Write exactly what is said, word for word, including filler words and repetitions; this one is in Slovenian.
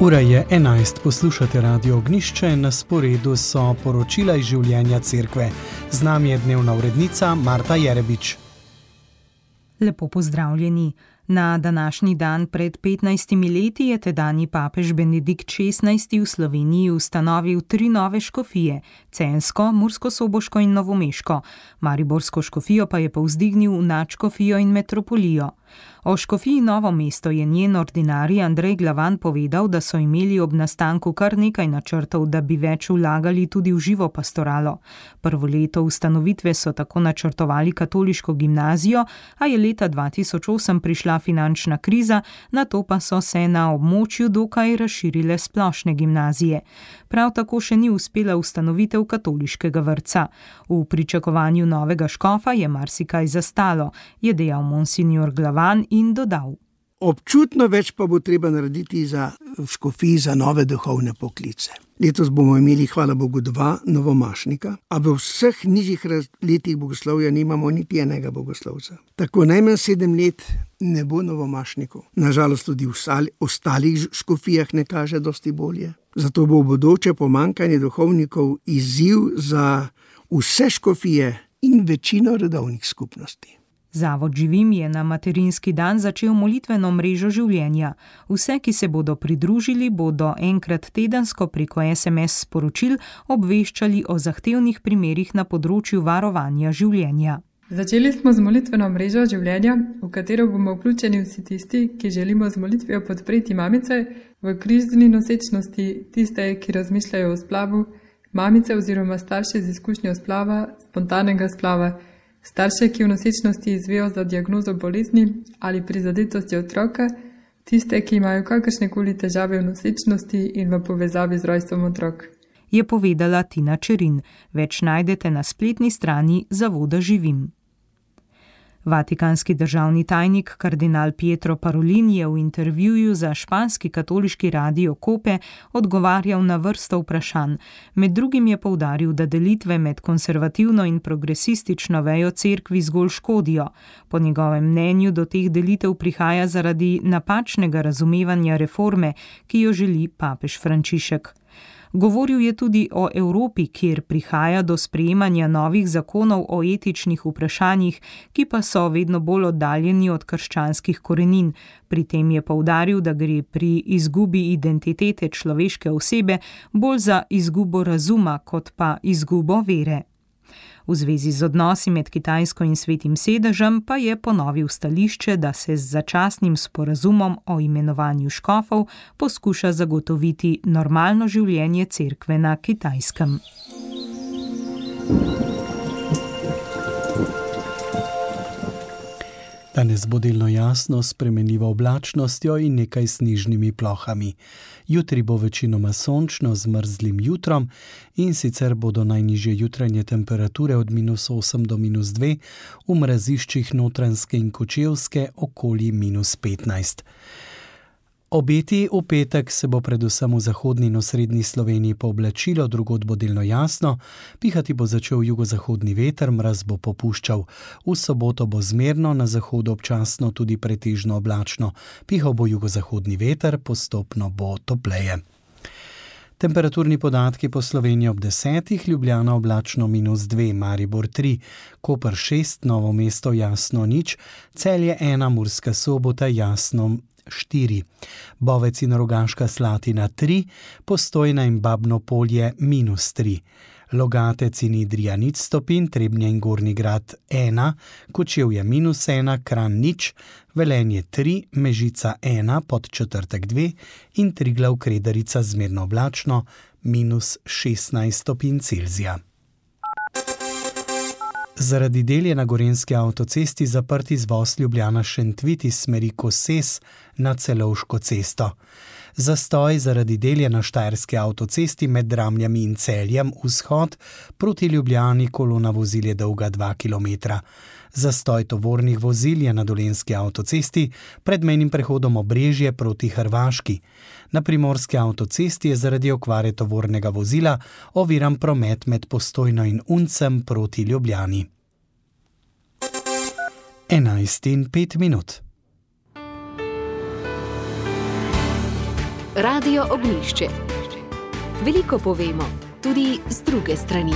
Ura je enajst, poslušate Radio Ognjišče, na sporedu so poročila iz življenja cerkve. Z nami je dnevna urednica Marta Jerebič. Lepo pozdravljeni. Na današnji dan pred petnajstimi leti je tedanji papež Benedikt šestnajsti v Sloveniji ustanovil tri nove škofije, Censko, Murskosoboško in Novomeško. Mariborsko škofijo pa je povzdignil v nadškofijo in metropolijo. O škofiji Novo mesto je njen ordinarij Andrej Glavan povedal, da so imeli ob nastanku kar nekaj načrtov, da bi več vlagali tudi v živo pastoralo. Prvo leto ustanovitve so tako načrtovali katoliško gimnazijo, a je leta dva tisoč osem prišla finančna kriza, nato pa so se na območju dokaj razširile splošne gimnazije. Prav tako še ni uspela ustanovitev katoliškega vrtca. V pričakovanju novega škofa je marsikaj zastalo, je dejal monsignor Glavan in dodal. Občutno več pa bo treba narediti za škofiji za nove duhovne poklice. Letos bomo imeli, hvala Bogu, dva novomašnika, a v vseh nižjih letih bogoslovja nimamo niti enega bogoslovca. Tako najmanj sedem let ne bo novomašnikov. Nažalost tudi v ostalih škofijah ne kaže dosti bolje. Zato bo v bodoče pomanjkanje duhovnikov izziv za vse škofije in večino redovnih skupnosti. Zavod Živim je na materinski dan začel molitveno mrežo življenja. Vse, ki se bodo pridružili, bodo enkrat tedensko preko es em es sporočil obveščali o zahtevnih primerih na področju varovanja življenja. Začeli smo z molitveno mrežo življenja, v katero bomo vključeni vsi tisti, ki želimo z molitvijo podpreti mamice v krizni nosečnosti, tiste, ki razmišljajo o splavu, mamice oziroma starše z izkušnjo splava, spontanega splava, starše, ki v nosečnosti izvejo za diagnozo bolezni ali prizadetosti otroka, tiste, ki imajo kakršnekoli težave v nosečnosti in v povezavi z rojstvom otrok. Je povedala Tina Čerin. Več najdete na spletni strani Zavoda Živim. Vatikanski državni tajnik kardinal Pietro Parolin je v intervjuju za španski katoliški radio Kope odgovarjal na vrsto vprašanj. Med drugim je poudaril, da delitve med konservativno in progresistično vejo cerkvi zgolj škodijo. Po njegovem mnenju do teh delitev prihaja zaradi napačnega razumevanja reforme, ki jo želi papež Frančišek. Govoril je tudi o Evropi, kjer prihaja do sprejemanja novih zakonov o etičnih vprašanjih, ki pa so vedno bolj oddaljeni od krščanskih korenin. Pri tem je poudaril, da gre pri izgubi identitete človeške osebe bolj za izgubo razuma, kot pa izgubo vere. V zvezi z odnosi med Kitajsko in Svetim sedežem pa je ponovil stališče, da se z začasnim sporazumom o imenovanju škofov poskuša zagotoviti normalno življenje cerkve na Kitajskem. Danes bo delno jasno s spremenljivo oblačnostjo in nekaj snežnimi plohami. Jutri bo večinoma sončno z mrzlim jutrom in sicer bodo najnižje jutranje temperature od minus osem do minus dve, v mraziščih Notranjske in Kočevske okoli minus petnajst. Obeti v petek se bo predvsem v zahodni in osrednji Sloveniji pooblačilo, drugod bo delno jasno, pihati bo začel jugozahodni veter, mraz bo popuščal. V soboto bo zmerno, na zahodu občasno tudi pretežno oblačno. Pihal bo jugozahodni veter, postopno bo topleje. Temperaturni podatki po Sloveniji ob desetih, Ljubljana oblačno minus dve, Maribor tri, Koper šest, Novo mesto jasno nič, Celje ena, Murska Sobota jasno štiri, Bovec in Rogaška Slatina tri, Postojna in Babno Polje minus tri, Logatec in Idrija nič stopinj, Trebnje in Gornji Grad ena, Kočevje minus ena, Kranj nič, Velenje tri, Mežica ena, Podčetrtek dve in Triglav Kredarica zmerno oblačno minus šestnajst stopinj Celzija. Zaradi del je na gorenjski avtocesti zaprt izvoz Ljubljana-Šentvid iz smeri Koses na Celovško cesto. Zastoj zaradi del je na štajerski avtocesti med Dramljami in Celjem vzhod proti Ljubljani, kolona vozil je dolga dva kilometra. Zastoj tovornih vozil je na dolenjski avtocesti pred mejnim prehodom Obrežje proti Hrvaški. Na primorski avtocesti je zaradi okvare tovornega vozila oviran promet med Postojno in Uncem proti Ljubljani. enajst in pet minut. Radio Ognjišče. Veliko povemo, tudi z druge strani.